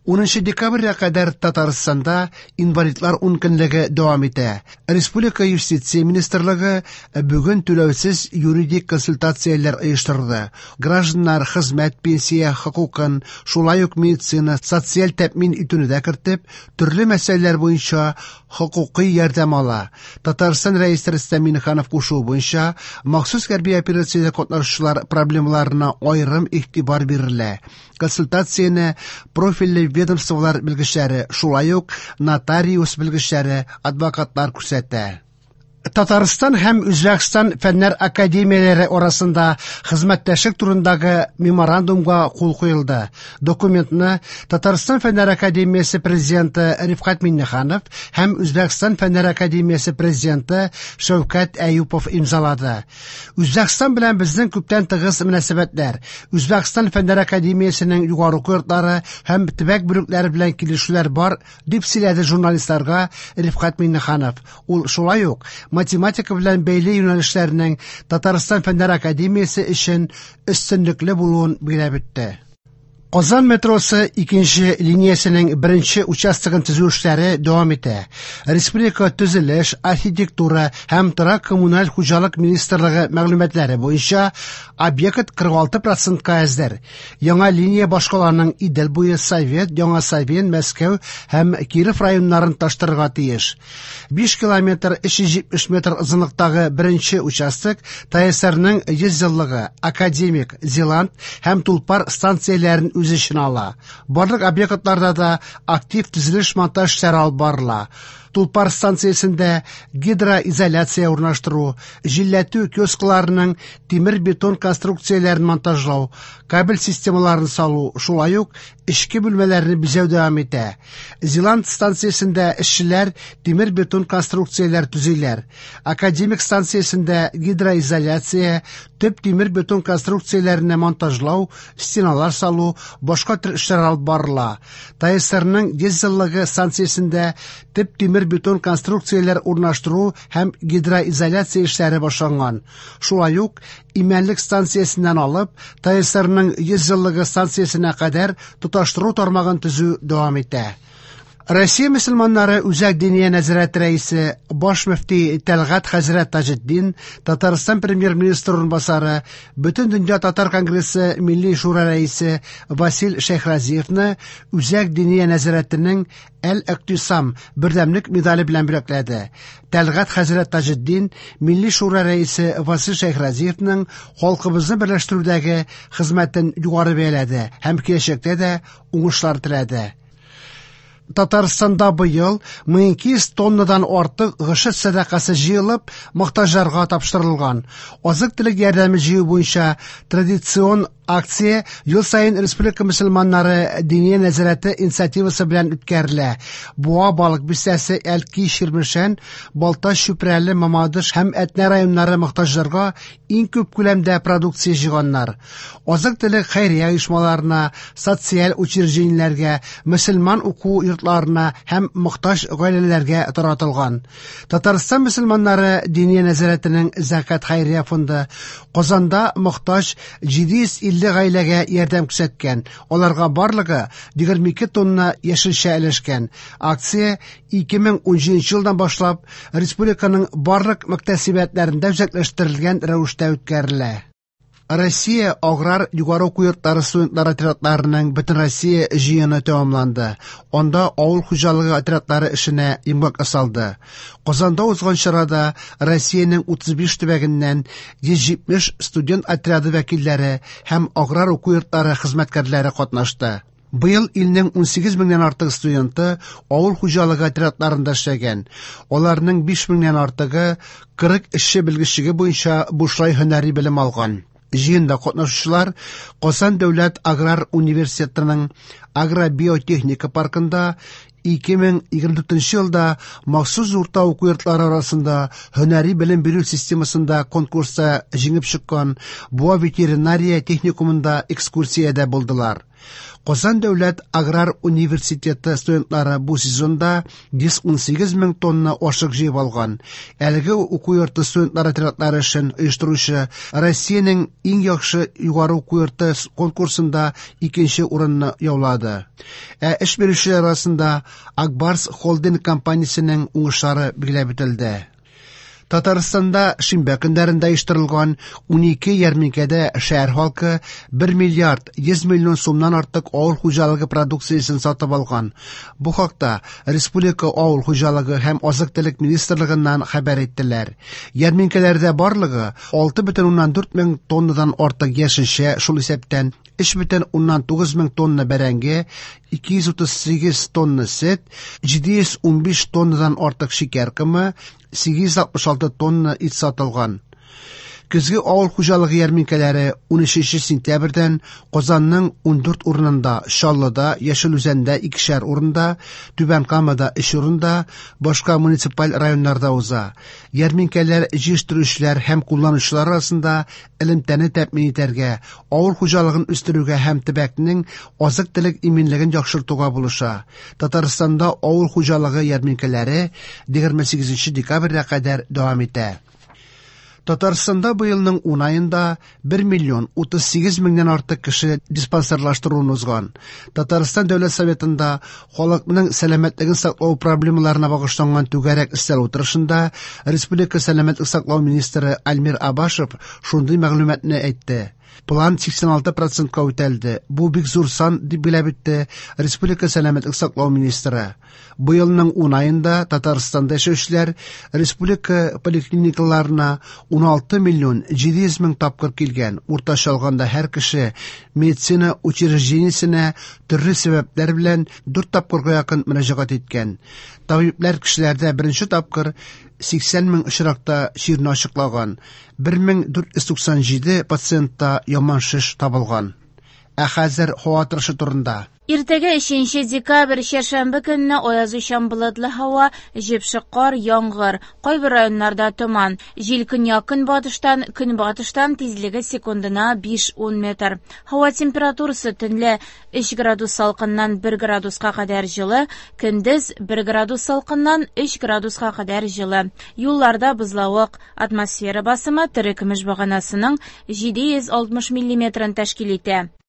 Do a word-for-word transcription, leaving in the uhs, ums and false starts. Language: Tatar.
Унынчы декабрьгә кадәр Татарстанда инвалидлар ункөнлеге дәвам итә. Республика Юстиция министрлыгы бүген түләүсез юридик консультацияләр оештырды. Гражданнар хезмәт, пенсия хокукын, шулай ук медицина, социаль тәэмин итүне дә кертеп, төрле мәсьәләләр буенча хокукый ярдәм ала. Татарстан Рәисе Рөстәм Миңнеханов кушуы буенча махсус хәрби операциядә катнашучылар проблемаларына аерым игътибар бирелә. Консультацияне профильле ведомстволар белгечләре, шулай ук нотариус белгечләре, адвокатлар күрсәтә. Татарстан һәм Үзбәкстан фәннәр академияләре арасында хезмәттәшлек турындагы меморандумга кул куелды. Документны Татарстан фәннәр академиясе президенты Рифкать Миңнеханов һәм Үзбәкстан фәннәр академиясе президенты Шәүкәт Әюпов имзалады. Үзбәкстан белән безнең күптән тыгыз мөнәсәбәтләр. Үзбәкстан фәннәр академиясенең югары уку йортлары һәм төбәк бүлекләре белән килешүләр бар, дип сөйләде журналистларга Рифкать Миңнеханов. Ул шулай ук математика белән бәйле юнәлешләрнең Татарстан фәннәр академиясе өчен өстенлекле булуын билгеләп үтте. Казан метросы икенче линиясенең беренче участогын төзү эшләре дәвам итә. Республика төзелеш, архитектура һәм торак коммуналь хуҗалык министрлыгы мәгълүматлары буенча объект кырык алты процентка әзер. Яңа линия башкаланың Идел буе, Совет, Яңа Савин, Мәскәү һәм Киров районнарын таштырырга тиеш. Биш километр өч йөз җитмеш метр озынлыктагы беренче участок ТАССРның йөз еллыгы, Академик, Зеланд һәм Тулпар станцияләрен үз эченә ала. Барлык объектларда да актив төзелеш монтаж эшләре алып барыла. Тулпар станциясендә гидроизоляция урнаштыру, җилләтү киоскларының тимер-бетон конструкцияләрен монтажлау, кабель системаларын салу, шулай ук эчке бүлмәләрне бизәү дәвам итә. Зеланд станциясендә эшчеләр тимер-бетон конструкцияләр төзиләр. Академик станциясендә гидроизоляция, төп тимер-бетон конструкцияләрне монтажлау, стеналар салу, башка төр эшләр алып барыла. ТАССРның йөз еллыгы станциясендә төп тимер-бетон конструкцияләр урнаштыру һәм гидроизоляция эшләре башланган. Шулай ук Имәнлек станциясеннән алып ТАССРның йөз еллыгы станциясенә кадәр тоташтыру тармагын төзү дәвам итә. Россия мөселманнары Үзәк Диния нәзарәте рәисе, баш мөфти Тәлгать хәзрәт Таҗетдин, Татарстан премьер-министры урынбасары, Бөтендөнья татар конгрессы Милли шура рәисе Васил Шәйхразиевны Үзәк Диния нәзарәтенең Әл-Иътисам бердәмлек медале белән бүләкләде. Тәлгать хәзрәт Таҗетдин Милли шура рәисе Васил Шәйхразиевның халкыбызны берләштерүдәге хезмәтен югары бәяләде һәм киләчәктә дә уңышлар теләде. Татарстанда быел мең ике йөз тоннадан артык гошер сәдакасы җыелып, мохтаҗларга тапшырылган. Азык-төлек ярдәме җыю буенча традицион акция ел саен Республика мөселманнары Диния нәзарәте инициативасы белән үткәрелә. Буа, Балык бистәсе, Әлки, Чирмешән, Балтач, Чүпрәле, Мамадыш һәм Әтнә районнары мохтаҗларга иң күп күләмдә продукция җыйганнар. Азык-төлек хәйрия оешмаларына, социаль учреждениеләргә, мөселман уку йортларына һәм мохтаҗ гаиләләргә таратылган. Татарстан мөселманнары Диния нәзарәтенең Зәкят хәйрия фонды Казанда мохтаҗ җиде йөз илле гаиләгә ярдәм күрсәткән. Аларга барлыгы егерме ике тонна яшелчә өләшкән. Акция ике мең унҗиденче елдан башлап республиканың барлык мөхтәсибәтләрендә үзәкләштерелгән рәвештә үткәрелә. Россия аграр югары уку йортлары студентлар отрядларының Бөтенроссия җыены тәмамланды. Анда авыл хуҗалыгы отрядлары эшенә йомгак ясалды. Казанда узган чарада Россиянең утыз биш төбәгеннән йөз җитмеш студент отряды вәкилләре һәм аграр уку йортлары хезмәткәрләре катнашты. Быел илнең унсигез меңнән артык студенты авыл хуҗалыгы отрядларында эшләгән. Аларның биш меңнән артыгы кырык эшче белгечлеге буенча бушлай һөнәри белем алган. Җыенда катнашучылар Казан дәүләт аграр университетының агробиотехника паркында ике мең егерме дүртенче елда махсус урта уку йортлары арасында һөнәри белем бирү системасында конкурста җиңеп чыккан Буа ветеринария техникумында экскурсиядә булдылар. Казан дәүләт аграр университеты студентлары бу сезонда йөз унсигез мең тонна ашык җыеп алган. Әлеге уку йорты студентлар отрядлары эшен оештыручы Россиянең иң яхшы югары уку йорты конкурсында икенче урынны яулады. Ә эш бирүчеләр арасында Акбарс холдинг компаниясенең уңышлары билгеләп үтелде. Татарстанда шимбә көннәрендә оештырылган унике ярминкәдә шәһәр халкы бер миллиард йөз миллион сумнан артык авыл хуҗалыгы продукциясен сатып алган. Бу хакта Республика авыл хуҗалыгы һәм азык-төлек министрлыгыннан хәбәр иттеләр. Ярминкәләрдә барлыгы алты бөтен уннан дүрт мең тоннадан артык яшелчә, шул исәптән өч бөтен уннан тугыз мең тонна бәрәңге, ике йөз утыз сигез тонна сөт, җиде йөз унбиш тоннадан артык шикәр комы, сигез йөз алтмыш алты тонна ит сатылган. Көзге авыл хуҗалыгы ярминкәләре унөченче сентябрьдән Казанның ундүрт урынында, Чаллыда, Яшел Үзәндә икешәр урында, Түбән Камада өч урында, башка муниципаль районнарда уза. Ярминкәләр җыештыручылар һәм кулланучылар арасында элемтәне тәэмин итәргә, авыл хуҗалыгын үстерүгә һәм төбәкнең азык-төлек иминлеген яхшыртуга булыша. Татарстанда авыл хуҗалыгы ярминкәләре егерме сигезенче декабрьгә кадәр дәвам итә. Татарстанда быелның ун аенда бер миллион утыз сигез меңнән артык кеше диспансерлаштыруын узган. Татарстан Дәүләт Советында халыкның сәламәтлеген саклау проблемаларына багышланган түгәрәк өстәл утырышында Республика сәламәтлек саклау министры Альмир Абашев шундый мәгълүматны әйтте. План сиксән алты процентка үтәлде. Бу бик зур сан, дип билгеләп үтте Республика сәламәтлек саклау министры. Быелның ун аенда Татарстанда яшәүчеләр республика поликлиникаларына уналты миллион җиде йөз мең тапкыр килгән. Уртача алганда һәр кеше медицина учреждениесенә төрле сәбәпләр белән дүрт тапкырга якын мөрәҗәгать иткән. Табиблар кешеләрдә беренче тапкыр сиксән мең очракта чирне ачыклаган. Бер мең дүрт йөз туксан җиде пациентта яман шеш табылган. Ә хәзер һава торышы турында. Иртәгә өченче декабрь чәршәмбе көнне аязучан болытлы һава, җепшек кар, яңгыр, кайбер районнарда томан. Җил көньяк-көнбатыштан, көнбатыштан тизлеге секундына биш-ун метр. Һава температурасы төнлә өч градус салкыннан бер градуска кадәр җылы, көндез бер градус салкыннан өч градуска кадәр җылы. Юлларда бозлавык, атмосфера басымы терекөмеш баганасының җиде йөз алтмыш миллиметрын тәшкил итә.